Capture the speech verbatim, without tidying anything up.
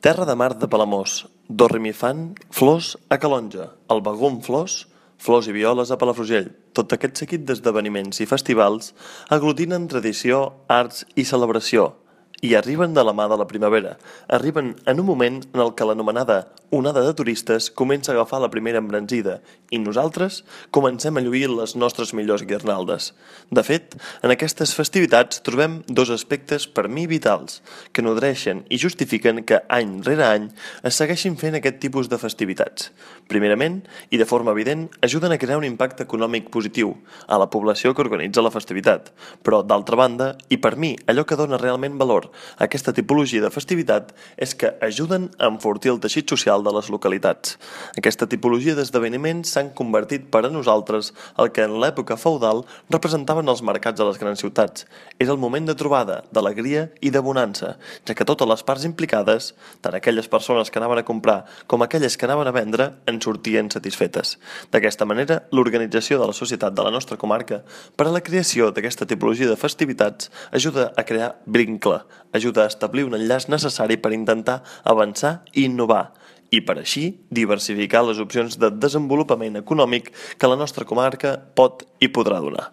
Terra de mar de Palamós, Dorrimifant, flors a Calonge, el Begum flors, flors i violes a Palafrugell. Tot aquest seguit d'esdeveniments i festivals aglutinen tradició, arts i celebració i arriben de la mà de la primavera. Arriben en un moment en el que l'anomenada onada de turistes comença a agafar la primera embranzida i nosaltres comencem a lluir les nostres millors guirnaldes. De fet, en aquestes festivitats trobem dos aspectes per mi vitals que nodreixen i justifiquen que any rere any es segueixin fent aquest tipus de festivitats. Primerament, i de forma evident, ajuden a crear un impacte econòmic positiu a la població que organitza la festivitat, però d'altra banda, i per mi allò que dona realment valor a aquesta tipologia de festivitat és que ajuden a enfortir el teixit social de les localitats. Aquesta tipologia d'esdeveniments s'han convertit per a nosaltres el que en l'època feudal representaven els mercats de les grans ciutats. És el moment de trobada, d'alegria i de bonança, ja que totes les parts implicades, tant aquelles persones que anaven a comprar com aquelles que anaven a vendre, en sortien satisfetes. D'aquesta manera, l'organització de la societat de la nostra comarca per a la creació d'aquesta tipologia de festivitats ajuda a crear vincle, ajuda a establir un enllaç necessari per intentar avançar i innovar, i per així diversificar les opcions de desenvolupament econòmic que la nostra comarca pot i podrà donar.